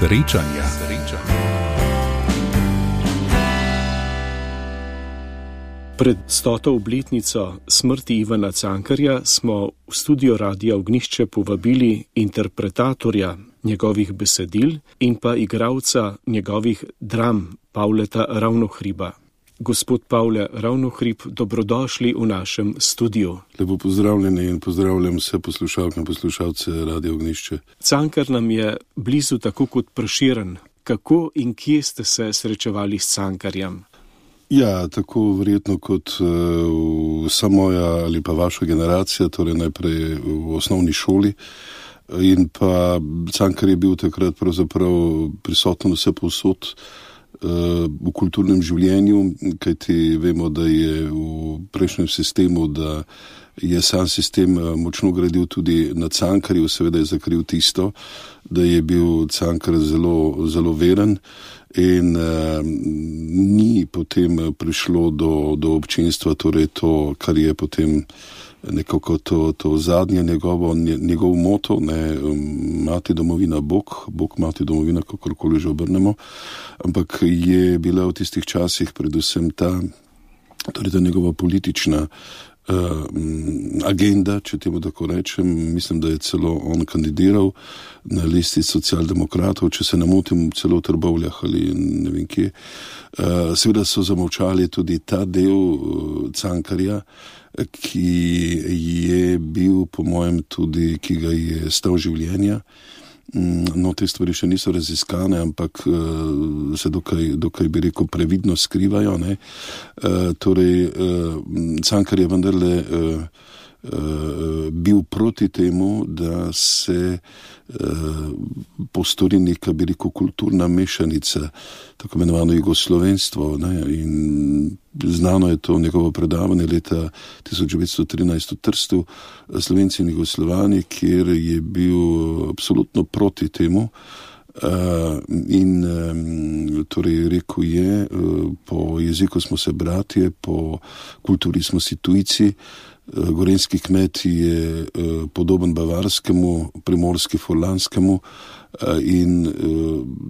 Srečanja. Pred 100. obletnico smrti Ivana Cankarja smo v studio Radia Ognjišče povabili interpretatorja njegovih besedil in pa igralca njegovih dram Pavleta Ravnohriba. Gospod Pavle Ravnohrib, dobrodošli v našem studiu. Lepo pozdravljeni in pozdravljam vse poslušalke in poslušalce Radia Ognjišče. Cankar nam je blizu tako kot Prešeren. Kako in kje ste se srečevali s Cankarjem? Ja, tako verjetno kot vsa moja ali pa vaša generacija, torej najprej v osnovni šoli. In pa Cankar je bil takrat pravzaprav prisoten vse povsod v kulturnem življenju, kajti vemo, da je v prejšnjem sistemu, da je sam sistem močno gradil tudi na Cankarju, seveda je zakril tisto, da je bil Cankar zelo, zelo veren in ni potem prišlo do občinstva, torej to, kar je potem nekako to zadnje njegov moto, ne, mati domovina Bog, Bog mati domovina, kakorkoli že obrnemo, ampak je bila v tistih časih predvsem ta njegova politična agenda, če temu tako rečem. Mislim, da je celo on kandidiral na listi socialdemokratov, če se ne motim, celo v Trbovljah ali ne vem kje. Seveda so zamolčali tudi ta del Cankarja, ki je bil po mojem tudi, ki ga je stal življenja. No, te stvari še niso raziskane, ampak se dokaj bi rekel previdno skrivajo, ne. Torej, Cankar je vendarle bil proti temu, da se postori neka, bi rekel, kulturna mešanica, tako imenovano jugoslovenstvo, ne, in znano je to njegovo predavanje leta 1913 v Trstu, Slovenci in Jugoslovani, kjer je bil absolutno proti temu. In torej rekel je, po jeziku smo se bratje, po kulturi smo si tujci, gorenjski kmet je podoben bavarskemu, primorski furlanskemu in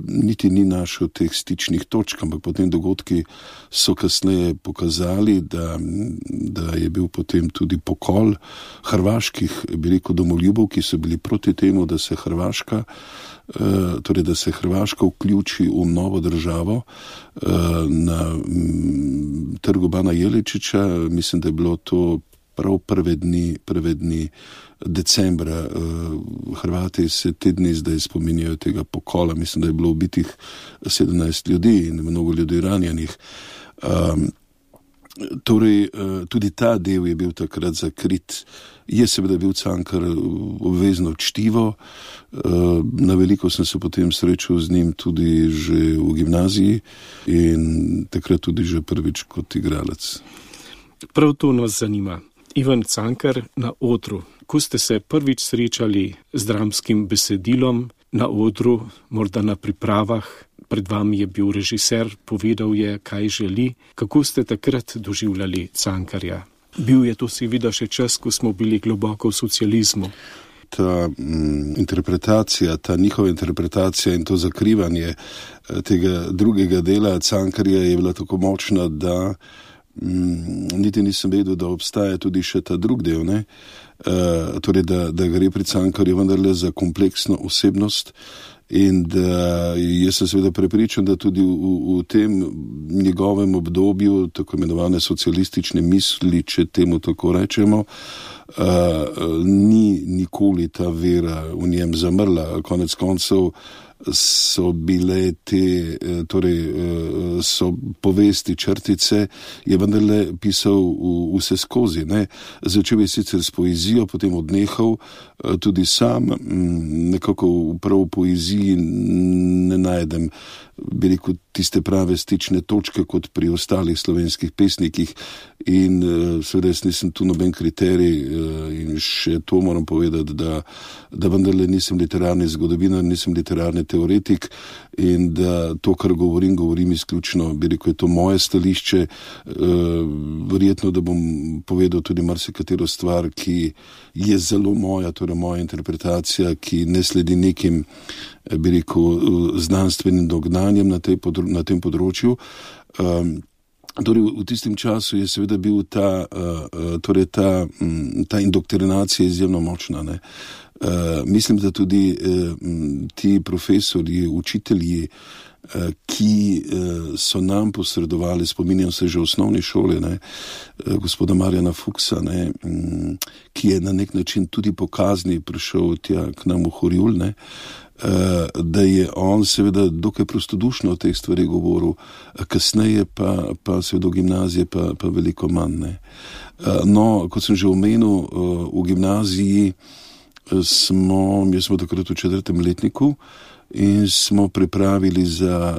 niti ni našel teh stičnih točk, ampak potem dogodki so kasneje pokazali, da je bil potem tudi pokol hrvaških, bi rekel, domoljubov, ki so bili proti temu, da se Hrvaška vključi v novo državo na trgu Bana Jelačića. Mislim, da je bilo to prav prve dni decembra. Hrvati se te dni zdaj spominjajo tega pokola. Mislim, da je bilo ubitih 17 ljudi in mnogo ljudi ranjenih. Torej, tudi ta del je bil takrat zakrit. Je seveda bil Cankar obvezno čtivo. Na veliko sem se potem srečal z njim tudi že v gimnaziji in takrat tudi že prvič kot igralec. Prav to nas zanima. Ivan Cankar na odru. Ko ste se prvič srečali z dramskim besedilom na odru, morda na pripravah, pred vami je bil režiser, povedal je, kaj želi. Kako ste takrat doživljali Cankarja? Bil je to seveda še čas, ko smo bili globoko v socializmu. Ta interpretacija, ta njihova interpretacija in to zakrivanje tega drugega dela Cankarja je bila tako močna, da niti nisem vedel, da obstaja tudi še ta drug del, ne? Torej, da gre pri Cankarju vendarle za kompleksno osebnost in da jaz sem seveda prepričan, da tudi v tem njegovem obdobju tako imenovane socialistične misli, če temu tako rečemo, ni nikoli ta vera v njem zamrla. Konec koncev so bile te, torej so povesti, črtice, je vendarle pisal vse skozi, ne. Začel je sicer s poezijo, potem odnehal, tudi sam nekako prav v poeziji ne najdem, bi rekel, tiste prave stične točke kot pri ostalih slovenskih pesnikih in seveda jaz nisem tu noben kriterij in še to moram povedati, da vendarle nisem literarni zgodovinar, nisem literarni teoretik in da to, kar govorim izključno, bi rekel, je to moje stališče. Verjetno, da bom povedal tudi marsikatero stvar, ki je zelo moja, torej moja interpretacija, ki ne sledi nekim, bi rekel, znanstvenim dognanjem na tem področju. Torej, v tistem času je seveda bil ta indoktrinacija izjemno močna, ne. Mislim, da tudi ti profesorji, učitelji, ki so nam posredovali, spominjam se že v osnovni šoli, ne, gospoda Marjana Fuksa, ne, ki je na nek način tudi po kazni prišel tja k nam v Horjul, ne, da je on seveda dokaj prostodušno o teh stvari govoril, kasneje pa seveda v gimnaziji pa veliko manj, ne. No, kot sem že omenil, v gimnaziji jaz smo takrat v 4. letniku in smo pripravili za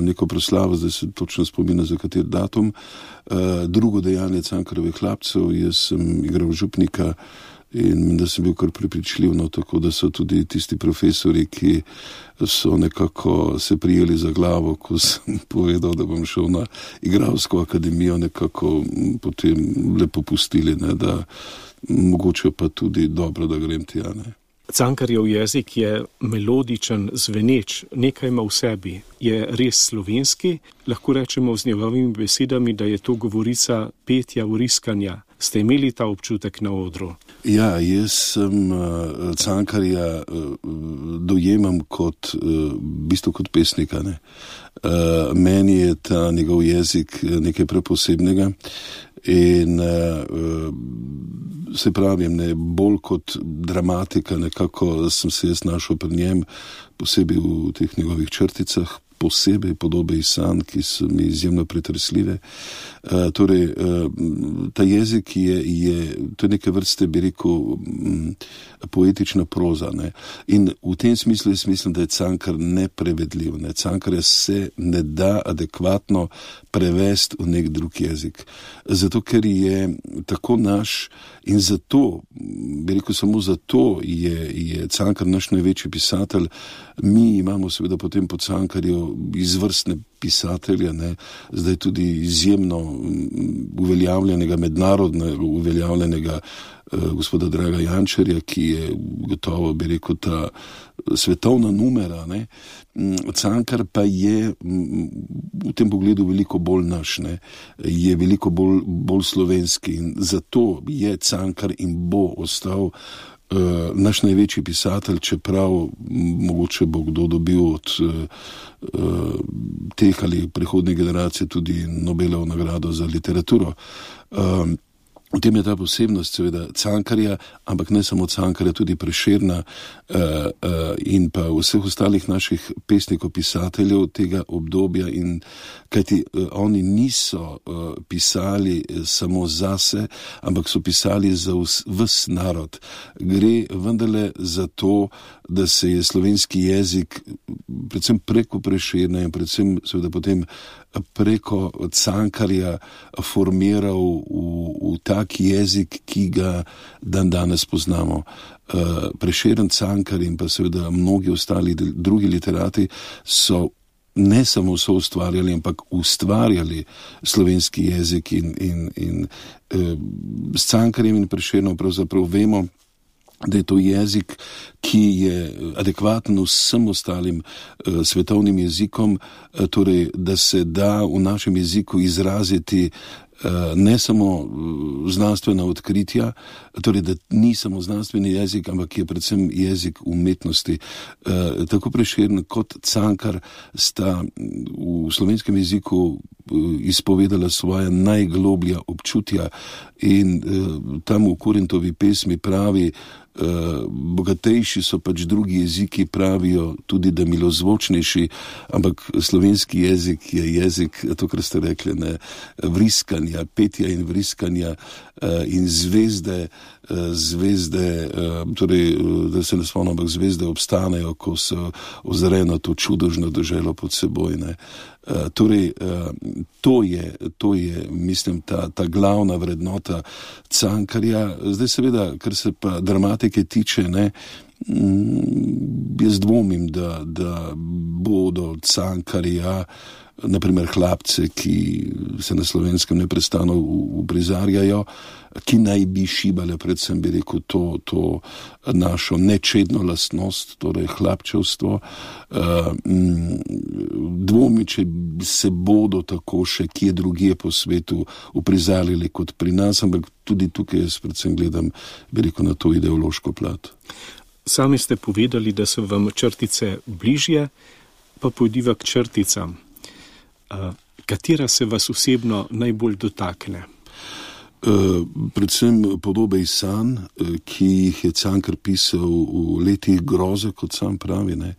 neko proslavo, zdaj se točno spominjam za kateri datum, drugo dejanje Cankarjevih hlapcev. Jaz sem igral župnika in da sem bil kar prepričljiv, no, tako da so tudi tisti profesori, ki so nekako se prijeli za glavo, ko sem povedal, da bom šel na igralsko akademijo, nekako potem lepo pustili, ne, da mogoče pa tudi dobro, da grem tja, ne. Cankarjev jezik je melodičen, zveneč, nekaj ima v sebi, je res slovenski, lahko rečemo z njegovimi besedami, da je to govorica petja, vriskanja. Ste imeli ta občutek na odru? Ja, jaz sem Cankarja dojemam kot, v bistvu kot pesnika, ne. Meni je ta njegov jezik nekaj preposebnega in se pravim, ne, bolj kot dramatika, nekako sem se jaz našel pri njem, posebej v teh njegovih črticah, posebej podobe iz sanj, ki so mi izjemno pretresljive. Torej, ta jezik to je neke vrste, bi rekel, poetična proza, ne. In v tem smislu jaz mislim, da je Cankar neprevedljiv, ne. Cankarja se ne da adekvatno prevesti v nek drug jezik. Zato, ker je tako naš in zato, bi rekel, samo zato je Cankar naš največji pisatelj. Mi imamo seveda potem po Cankarju izvrstne pisatelje, ne, zdaj tudi izjemno uveljavljenega, mednarodno uveljavljenega gospoda Draga Jančarja, ki je gotovo, bi rekel, ta svetovna numera, ne. Cankar pa je v tem pogledu veliko bolj naš, ne, je veliko bolj slovenski in zato je Cankar in bo ostal naš največji pisatelj, čeprav mogoče bo kdo dobil od teh ali prihodnje generacije tudi Nobelovo nagrado za literaturo. V tem je ta posebnost seveda Cankarja, ampak ne samo Cankarja, tudi Prešerna in pa vseh ostalih naših pesnikov, pisateljev tega obdobja, in kajti oni niso pisali samo zase, ampak so pisali za ves narod. Gre vendarle za to, da se je slovenski jezik predvsem preko Prešerna in predvsem seveda potem preko Cankarja formiral v tak jezik, ki ga danes poznamo. Prešeren, Cankar in pa seveda mnogi ostali drugi literati so ne samo soustvarjali, ampak ustvarjali slovenski jezik in s Cankarjem in Prešernom pravzaprav vemo, da je to jezik, ki je adekvaten vsem ostalim svetovnim jezikom, torej da se da v našem jeziku izraziti ne samo znanstvena odkritja, torej da ni samo znanstveni jezik, ampak je predvsem jezik umetnosti. Tako Prešeren kot Cankar sta v slovenskem jeziku izpovedala svoja najgloblja občutja in tam v Korintovi pesmi pravi, bogatejši so pač drugi jeziki, pravijo tudi, da milozvočnejši, ampak slovenski jezik je jezik, to, kar ste rekli, ne, vriskanja, petja in vriskanja in zvezde zvezde, torej, da se ne spomnim, ampak zvezde obstanejo, ko se ozre na to čudežno deželo pod seboj, ne. Torej, to je, mislim, ta glavna vrednota Cankarja. Zdaj seveda, kar se pa dramatike tiče, ne, jaz dvomim, da bodo Cankarja, naprimer hlapce, ki se na Slovenskem neprestano uprizarjajo, ki naj bi šibale, predvsem bi rekel, to našo nečedno lastnost, torej hlapčevstvo. Dvomi, če se bodo tako še kje drugje po svetu uprizarjali kot pri nas, ampak tudi tukaj jaz predvsem gledam, bi rekel, na to ideološko plat. Sami ste povedali, da so vam črtice bližje, pa pojdiva k črticam. Katera se vas osebno najbolj dotakne? Predvsem podobe iz sanj, ki jih je Cankar pisal v letih groze, kot sam pravi, ne.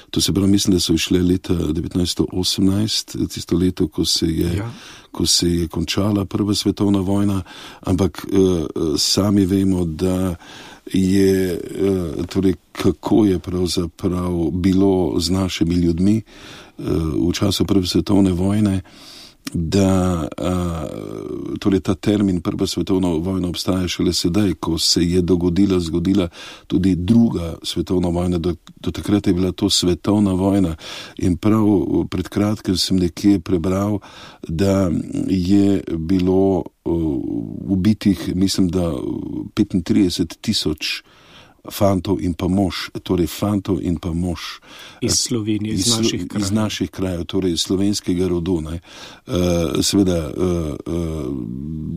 To se pravi, mislim, da so išle leta 1918, tisto leto, ko se je končala Prva svetovna vojna, ampak sami vemo, da je, torej, kako je pravzaprav bilo z našimi ljudmi v času Prve svetovne vojne, da torej ta termin Prva svetovna vojna obstaja šele sedaj, ko se je zgodila tudi Druga svetovna vojna. Do takrat je bila to svetovna vojna in prav pred kratkim sem nekje prebral, da je bilo ubitih, mislim, da 35,000 fantov in pa mož, torej fantov in pa mož. Iz Slovenije, iz naših krajev, torej slovenskega rodu, ne. Seveda,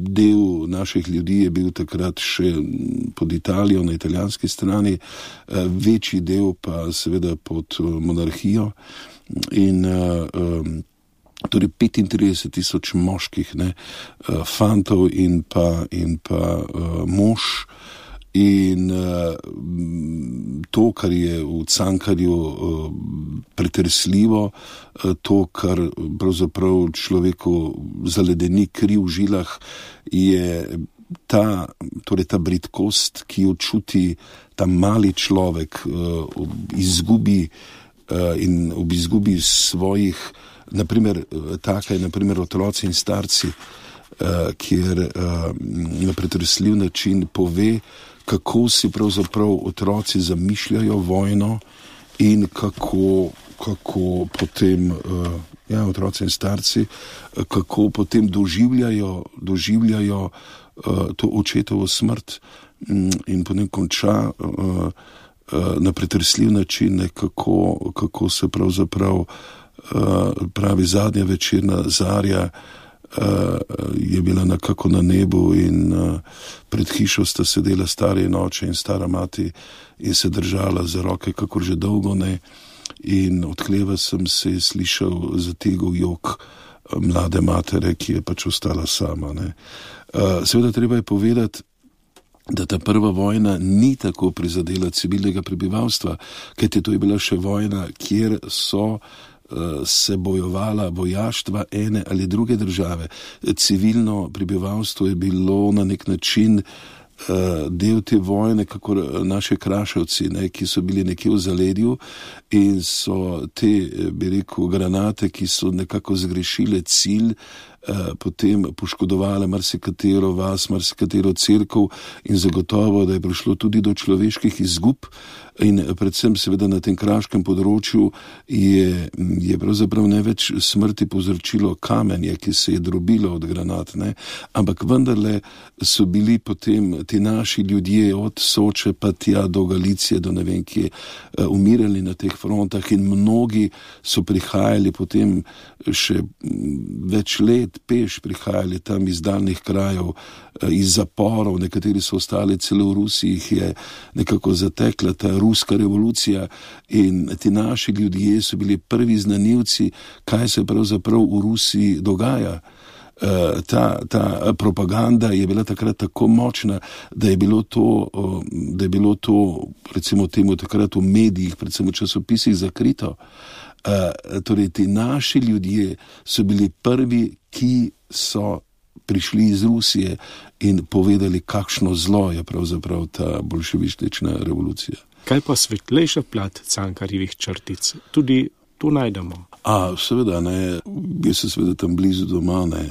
del naših ljudi je bil takrat še pod Italijo, na italijanski strani, večji del pa seveda pod monarhijo in torej 35,000 moških, ne, fantov in pa mož. In to, kar je v Cankarju pretresljivo, to, kar pravzaprav človeku zaledeni kri v žilah, je ta bridkost, ki jo čuti ta mali človek ob izgubi svojih, naprimer, taka je naprimer otroci in starci, kjer na pretresljiv način pove, kako si pravzaprav otroci zamišljajo vojno in kako potem, otroci in starci, kako potem doživljajo to očetovo smrt in potem konča na pretresljiv način, kako se pravzaprav pravi zadnja večerna zarja je bila nekako na nebu in pred hišo sta sedela stari in oče in stara mati in se držala za roke, kakor že dolgo ne, in od hleva sem se slišal zategel jok mlade matere, ki je pač ostala sama, ne. Seveda treba je povedati, da ta prva vojna ni tako prizadela civilnega prebivalstva, kajti to je bila še vojna, kjer so se bojovala vojaštva ene ali druge države. Civilno prebivalstvo je bilo na nek način del te vojne, kako naši Kraševci, ne, ki so bili nekje v zaledju in so te, bi rekel, granate, ki so nekako zgrešile cilj, potem poškodovale marsikatero vas, marsikatero cerkev in zagotovo, da je prišlo tudi do človeških izgub in predvsem seveda na tem kraškem področju je pravzaprav največ smrti povzročilo kamenje, ki se je drobilo od granat, ne, ampak vendarle so bili potem ti naši ljudje od Soče pa tja do Galicije, do ne vem kje, umirali na teh frontah in mnogi so prihajali potem še več let peš, prihajali tam iz daljnih krajev, iz zaporov, nekateri so ostali celo v Rusiji, jih je nekako zatekla ta ruska revolucija in ti naši ljudje so bili prvi znanilci, kaj se pravzaprav v Rusiji dogaja. Ta propaganda je bila takrat tako močna, da je bilo to recimo temu takrat v medijih, predvsem v časopisih zakrito. Torej ti naši ljudje so bili prvi, ki so prišli iz Rusije in povedali, kakšno zlo je pravzaprav ta bolševistična revolucija. Kaj pa svetlejša plat Cankarjevih črtic? Tudi tu najdemo. Seveda ne, jaz sem seveda tam blizu doma, ne,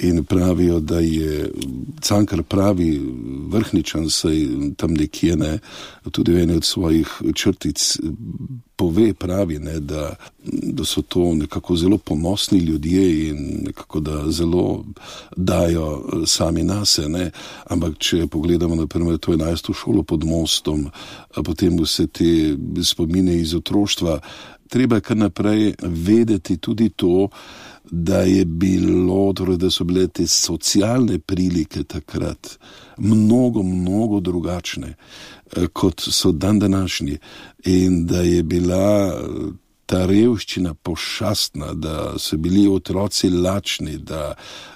in pravijo, da je Cankar pravi vrhničan, saj tam nekje, ne, tudi v eni od svojih črtic pove, pravi, ne, da so to nekako zelo ponosni ljudje in nekako da zelo dajo sami nase, ne, ampak če pogledamo naprimer to 11. šolo pod mostom, potem vse te spomine iz otroštva, treba kar naprej vedeti tudi to, da je bilo, torej da so bile te socialne prilike takrat mnogo drugačne, kot so današnji, in da je bila ta revščina pošastna, da so bili otroci lačni, da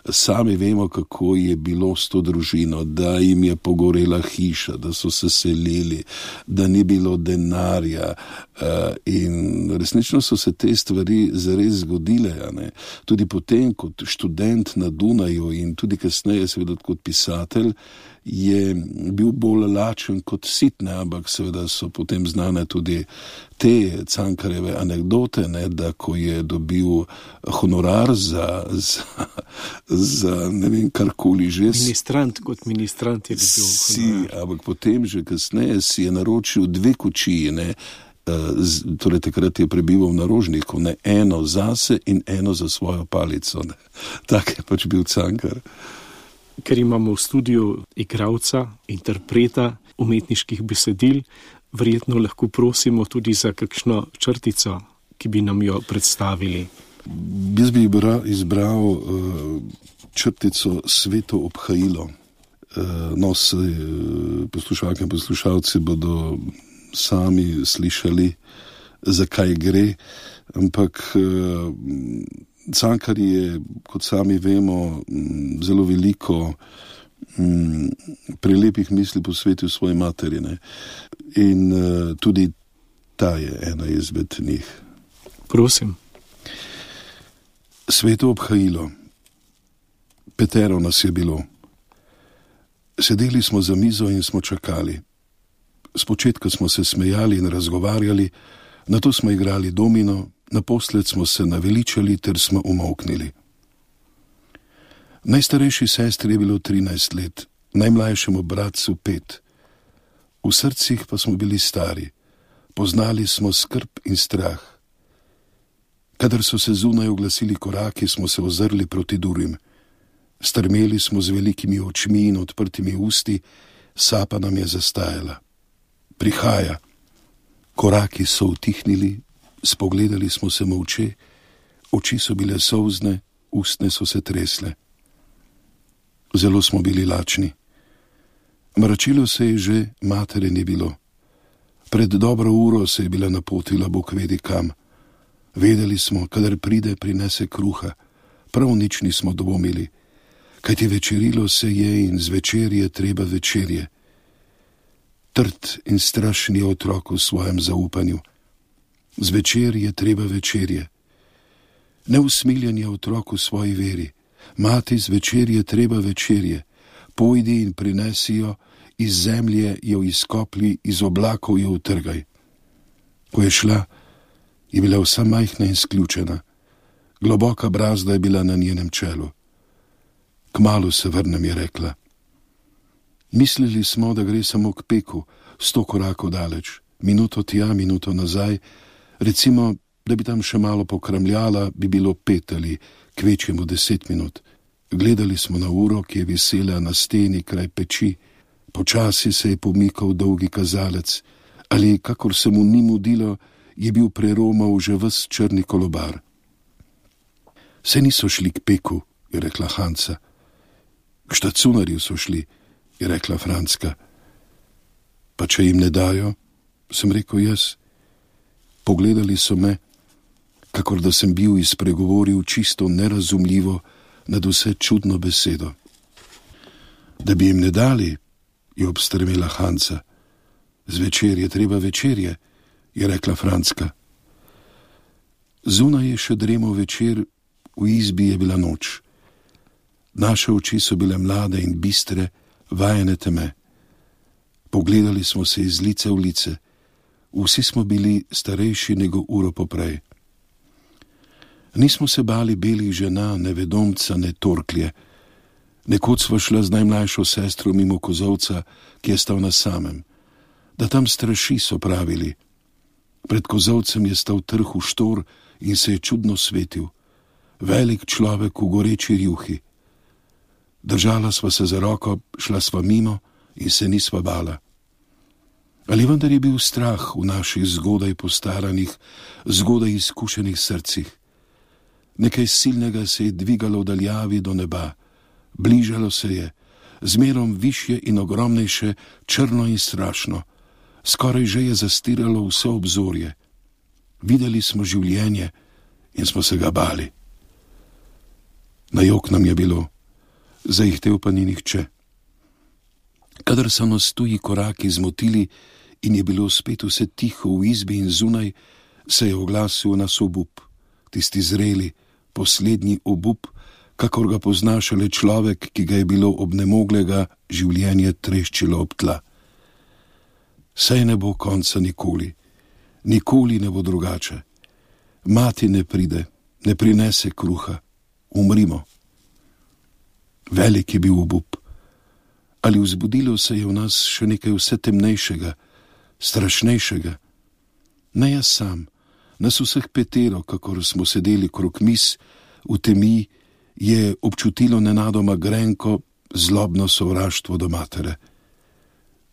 sami vemo, kako je bilo s to družino, da jim je pogorela hiša, da so se selili, da ni bilo denarja, in resnično so se te stvari zares zgodile, ne? Tudi potem kot študent na Dunaju in tudi kasneje seveda kot pisatelj je bil bolj lačen kot sit, ne? Ampak seveda so potem znane tudi te Cankarjeve anekdote, ne? Da ko je dobil honorar za ne vem karkoli že. Kot ministrant je dobil honorar. Ampak potem že kasneje si je naročil 2 kočiji, ne? Torej takrat je prebival na Rožniku, ne, eno zase in eno za svojo palico, ne. Tak je pač bil Cankar. Ker imamo v studiu igralca, interpreta umetniških besedil, verjetno lahko prosimo tudi za kakšno črtico, ki bi nam jo predstavili. Jaz bi izbral črtico Sveto obhajilo. Poslušalke in poslušalci bodo sami slišali, zakaj gre, ampak Cankar je, kot sami vemo, zelo veliko prelepih misli posvetil svoji materi, ne? In tudi ta je ena izmed njih. Prosim. Sveto obhajilo. 5 nas je bilo. Sedeli smo za mizo in smo čakali. Spočetka smo se smejali in razgovarjali, nato smo igrali domino, naposled smo se naveličali ter smo umolknili. Najstarejši sestri je bilo 13 let, najmlajšemu bratcu 5. V srcih pa smo bili stari, poznali smo skrb in strah. Kadar so se zunaj oglasili koraki, smo se ozrli proti Durim. Strmeli smo z velikimi očmi in odprtimi usti, sapa nam je zastajala. Prihaja. Koraki so utihnili, spogledali smo se molče, oči so bile solzne, ustne so se tresle. Zelo smo bili lačni. Mračilo se je že, matere ni bilo. Pred dobro uro se je bila napotila Bog vedi kam. Vedeli smo, kadar pride, prinese kruha. Prav nič nismo dvomili, kajti večerilo se je in zvečer je treba večerje. Trd in strašni otrok v svojem zaupanju. Zvečer je treba večerje. Neusmiljen je otrok v svoji veri. Mati, zvečer je treba večerje. Pojdi in prinesi jo, iz zemlje jo izkopli, iz oblakov jo utrgaj. Ko je šla, je bila vsa majhna in sključena. Globoka brazda je bila na njenem čelu. Kmalu se vrnem, je rekla. Mislili smo, da gre samo k peku, 100 korakov daleč, minuto tja, minuto nazaj, recimo, da bi tam še malo pokramljala, bi bilo 5 ali kvečjemu 10 minut. Gledali smo na uro, ki je visela na steni kraj peči, počasi se je pomikal dolgi kazalec, ali kakor se mu ni mudilo, je bil preromal že ves črni kolobar. Se niso šli k peku, je rekla Hanca. K štacunarju so šli, je rekla Franska. Pa če jim ne dajo, sem rekel jaz. Pogledali so me, kakor da sem bil izpregovoril čisto nerazumljivo nad vse čudno besedo. Da bi jim ne dali, je obstrmela Hanca. Zvečer je treba večerje, je rekla Franska. Zunaj je še dremal večer, v izbi je bila noč. Naše oči so bile mlade in bistre, vajene teme. Pogledali smo se iz lice v lice. Vsi smo bili starejši nego uro poprej. Nismo se bali belih žena, ne vedomca, ne torklje. Nekoč sva šla z najmlajšo sestro mimo kozolca, ki je stal na samem. Da tam straši, so pravili. Pred kozolcem je stal trh v štor in se je čudno svetil. Velik človek v goreči rjuhi. Držala sva se za roko, šla sva mimo in se nisva bala. Ali vendar je bil strah v naših zgodaj postaranih, zgodaj izkušenih srcih. Nekaj silnega se je dvigalo v daljavi do neba, bližalo se je, zmerom višje in ogromnejše, črno in strašno, skoraj že je zastiralo vse obzorje. Videli smo življenje in smo se ga bali. Na jok nam je bilo, zaihtel pa ni nihče. Kadar so nas tuji koraki zmotili in je bilo spet vse tiho v izbi in zunaj, se je oglasil nas obup, tisti zreli, poslednji obup, kakor ga pozna šele človek, ki ga je bilo obnemoglega življenje treščilo ob tla. Saj ne bo konca nikoli, nikoli ne bo drugače. Mati ne pride, ne prinese kruha, umrimo. Velik je bil obup. Ali vzbudilo se je v nas še nekaj vse temnejšega, strašnejšega? Ne jaz sam, nas vseh petero, kakor smo sedeli krog miz, v temi, je občutilo nenadoma grenko, zlobno sovraštvo do matere.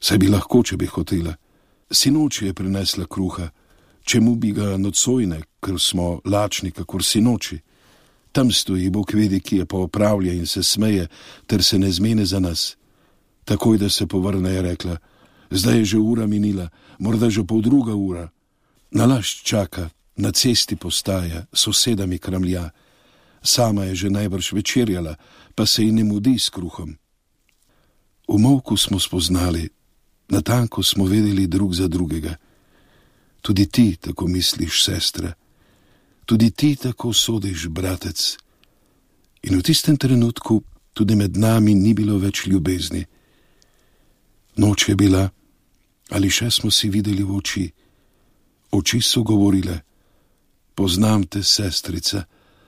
Saj bi lahko, če bi hotela. Sinoči je prinesla kruha, čemu bi ga nocojne, ker smo lačni, kakor sinoči. Tam stoji, Bog vedi, ki je pa opravlja in se smeje, ter se ne zmene za nas. Takoj, da se povrne, je rekla, zdaj je že ura minila, morda že 2:30 ura. Nalašč čaka, na cesti postaja, sosedami kramlja. Sama je že najbrž večerjala, pa se ji ne mudi s kruhom. V molku smo spoznali, natanko smo vedeli drug za drugega. Tudi ti tako misliš, sestra. Tudi ti tako sodiš, bratec. In v tistem trenutku tudi med nami ni bilo več ljubezni. Noč je bila, ali še smo si videli v oči. Oči so govorile, poznam te, sestrica,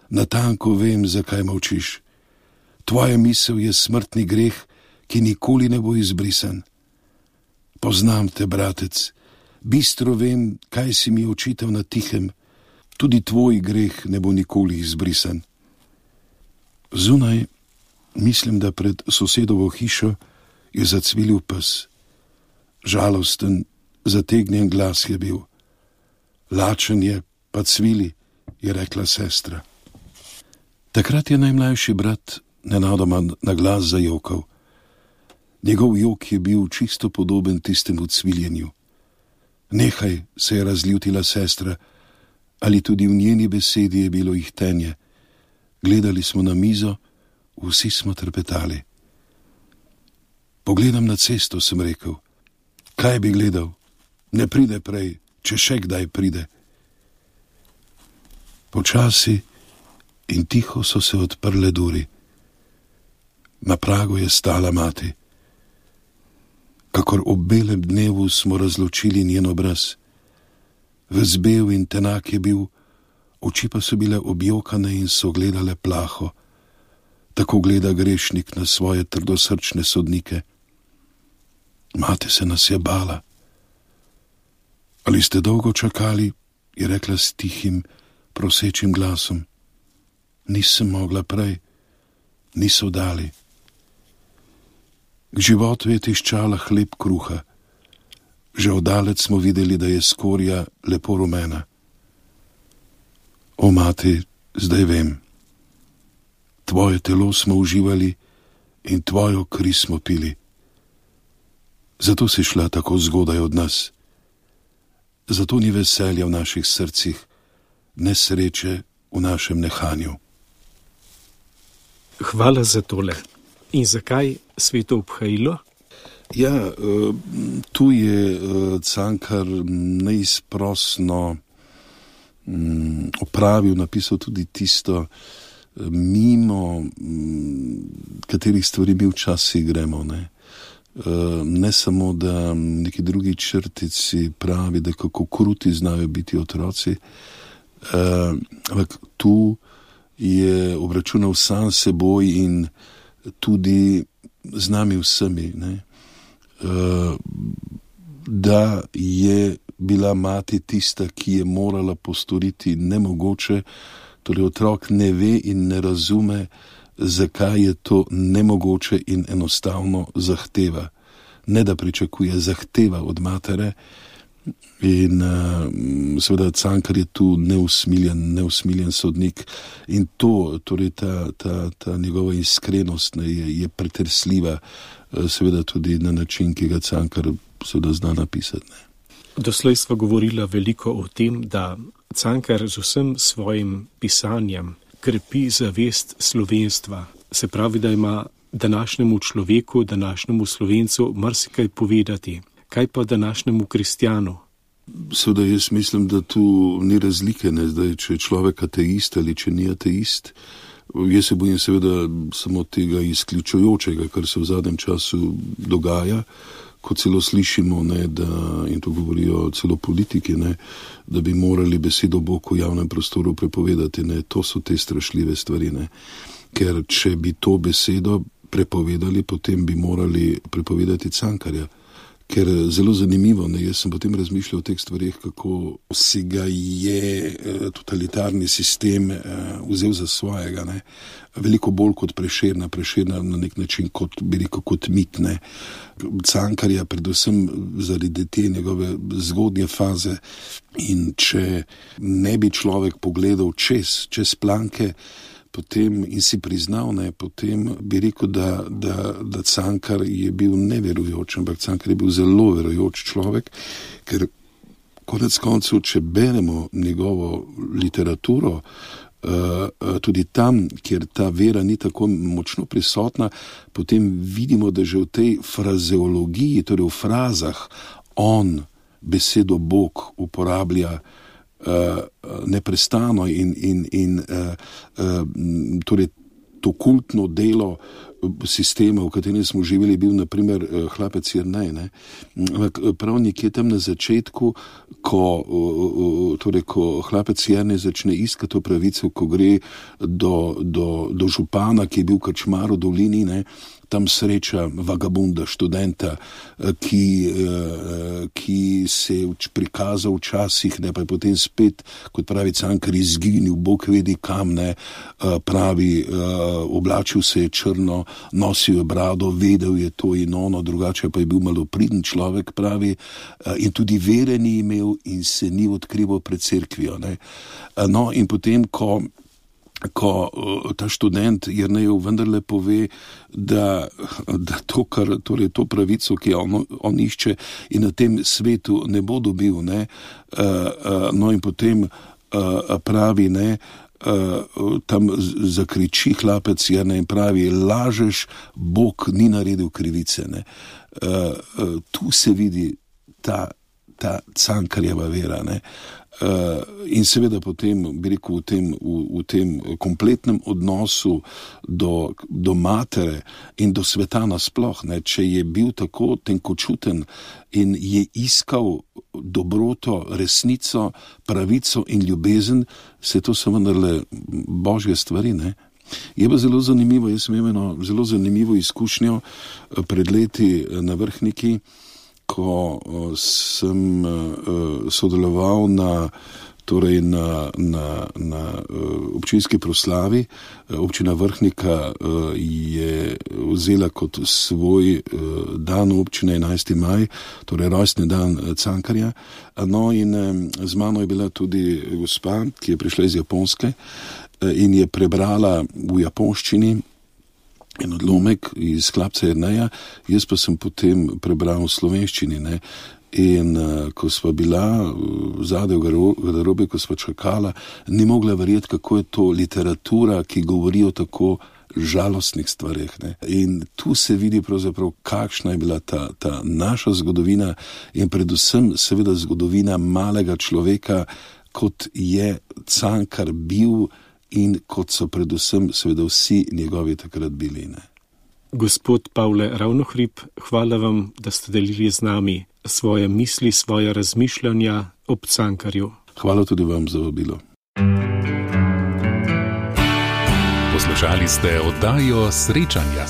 natanko vem, zakaj molčiš. Tvoja misel je smrtni greh, ki nikoli ne bo izbrisan. Poznam te, bratec, bistro vem, kaj si mi očital na tihem, tudi tvoj greh ne bo nikoli izbrisan. Zunaj, mislim, da pred sosedovo hišo, je zacvilil pes. Žalosten, zategnjen glas je bil. Lačen je, pa cvili, je rekla sestra. Takrat je najmlajši brat nenadoma na glas zajokal. Njegov jok je bil čisto podoben tistemu cviljenju. Nehaj, se je razljutila sestra, ali tudi v njeni besedi je bilo ihtenje. Gledali smo na mizo, vsi smo trpetali. Pogledam na cesto, sem rekel. Kaj bi gledal? Ne pride prej, če še kdaj pride. Počasi in tiho so se odprle duri. Na pragu je stala mati. Kakor ob belem dnevu smo razločili njen obraz. Vzbel in tenak je bil, oči pa so bile objokane in so gledale plaho. Tako gleda grešnik na svoje trdosrčne sodnike. Mati se nas je bala. Ali ste dolgo čakali, je rekla s tihim, prosečim glasom. Nisem mogla prej, niso dali. K životu je tiščala hleb kruha. Že oddalec smo videli, da je skorja lepo rumena. O, mati, zdaj vem. Tvoje telo smo uživali in tvojo kri smo pili. Zato si šla tako zgodaj od nas. Zato ni veselja v naših srcih, nesreče v našem nehanju. Hvala za tole. In zakaj sveto obhajilo? Ja, tu je Cankar neizprosno opravil, napisal tudi tisto mimo katerih stvari mi včasih gremo, ne. Ne samo, da neki drugi črtici pravi, da kako kruti znajo biti otroci, ampak tu je obračunal sam seboj in tudi z nami vsemi, ne. Da je bila mati tista, ki je morala postoriti nemogoče, torej otrok ne ve in ne razume, zakaj je to nemogoče in enostavno zahteva. Ne da pričakuje, zahteva od matere in seveda Cankar je tu neusmiljen sodnik in to, torej ta njegova iskrenost je pretresljiva, seveda tudi na način, ki ga Cankar seveda zna napisati. Ne. Doslej sva govorila veliko o tem, da Cankar z vsem svojim pisanjem krepi zavest slovenstva. Se pravi, da ima današnjemu človeku, današnjemu Slovencu marsikaj povedati. Kaj pa današnjemu kristjanu? Seveda jaz mislim, da tu ni razlike, ne, zdaj, če je človek ateist ali če ni ateist. Jaz se bojim seveda samo tega izključujočega, kar se v zadnjem času dogaja, ko celo slišimo, ne, da, in to govorijo celo politiki, ne, da bi morali besedo Bog v javnem prostoru prepovedati. Ne. To so te strašljive stvari, ne. Ker če bi to besedo prepovedali, potem bi morali prepovedati Cankarja. Ker zelo zanimivo, ne, jaz sem potem razmišljal o teh stvarih, kako si ga je totalitarni sistem vzel za svojega, ne. Veliko bolj kot Prešerna na nek način kot, bi rekel, kot mit, ne. Cankarja predvsem zaradi te njegove zgodnje faze in če ne bi človek pogledal čez planke, potem in si priznal, ne, potem bi rekel, da Cankar je bil neverujoč, ampak Cankar je bil zelo verujoč človek, ker konec koncev, če beremo njegovo literaturo, tudi tam, kjer ta vera ni tako močno prisotna, potem vidimo, da že v tej frazeologiji, torej v frazah, on besedo Bog uporablja neprestano in torej to kultno delo sistema, v katerem smo živeli, bil naprimer hlapec Jernej, ne. Prav nekje tam na začetku, ko hlapec Jernej začne iskati to pravico, ko gre do župana, ki je bil krčmar v dolini, ne, tam sreča vagabunda, študenta, ki se je prikazal včasih, ne, pa je potem spet, kot pravi Cankar, izginil, Bog vedi kam, ne, pravi, oblačil se je črno, nosil je brado, vedel je to in ono, drugače pa je bil malopriden človek, pravi, in tudi vere ni imel in se ni odkrival pred cerkvijo, ne. No, in potem, ko ta študent Jernejev vendarle pove, da to, torej to pravico, ki on išče in na tem svetu ne bo dobil, ne, no in potem pravi, ne, tam zakriči hlapec Jernej in pravi, lažeš, Bog ni naredil krivice, ne. Tu se vidi ta Cankarjeva vera, ne. In seveda potem, bi rekel, v tem kompletnem odnosu do matere in do sveta nasploh, ne, če je bil tako tenkočuten in je iskal dobroto, resnico, pravico in ljubezen, se to so vendarle božje stvari, ne. Je pa zelo zanimivo, jaz sem imel eno zelo zanimivo izkušnjo pred leti na Vrhniki, ko sem sodeloval na občinski proslavi. Občina Vrhnika je vzela kot svoj dan občine 11. maj, torej rojstni dan Cankarja. No in z mano je bila tudi gospa, ki je prišla iz Japonske in je prebrala v japonščini en odlomek iz hlapca Jerneja, jaz pa sem potem prebral v slovenščini, ne. In ko sva bila zadaj v garderobi, ko sva čakala, ni mogla verjeti, kako je to literatura, ki govori o tako žalostnih stvareh, ne. In tu se vidi pravzaprav, kakšna je bila ta naša zgodovina in predvsem seveda zgodovina malega človeka, kot je Cankar bil in kot so predvsem seveda vsi njegovi takrat bili. Ne. Gospod Pavle Ravnohrib, hvala vam, da ste delili z nami svoje misli, svoje razmišljanja ob Cankarju. Hvala tudi vam za vabilo. Poslušali ste oddajo Srečanja.